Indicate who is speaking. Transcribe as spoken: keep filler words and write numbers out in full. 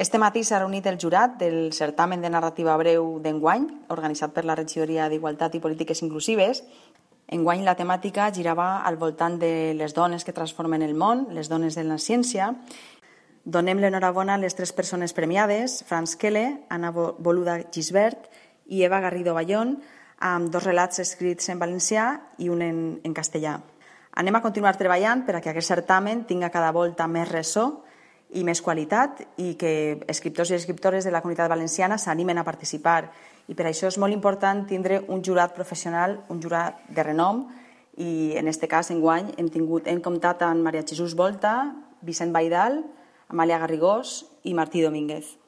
Speaker 1: Este matí s'ha reunit el jurat del certamen de narrativa breu d'enguany, organitzat per la Regidoria d'Igualtat i Polítiques Inclusives. Enguany la temàtica girava al voltant de les dones que transformen el món, les dones de la ciència. Donem l'enhorabona a les tres persones premiades, Franz Kelle, Anna Boluda Gisbert i Eva Garrido Bayón, amb dos relats escrits en valencià i un en, en castellà. Anem a continuar treballant per a que aquest certamen tinga cada volta més ressò i més qualitat i que escriptors i escriptores de la comunitat valenciana s'animen a participar. I per això és molt important tindre un jurat professional, un jurat de renom, i en aquest cas, enguany, hem, tingut, hem comptat amb Maria Jesús Volta, Vicent Baidal, Amàlia Garrigós i Martí Domínguez.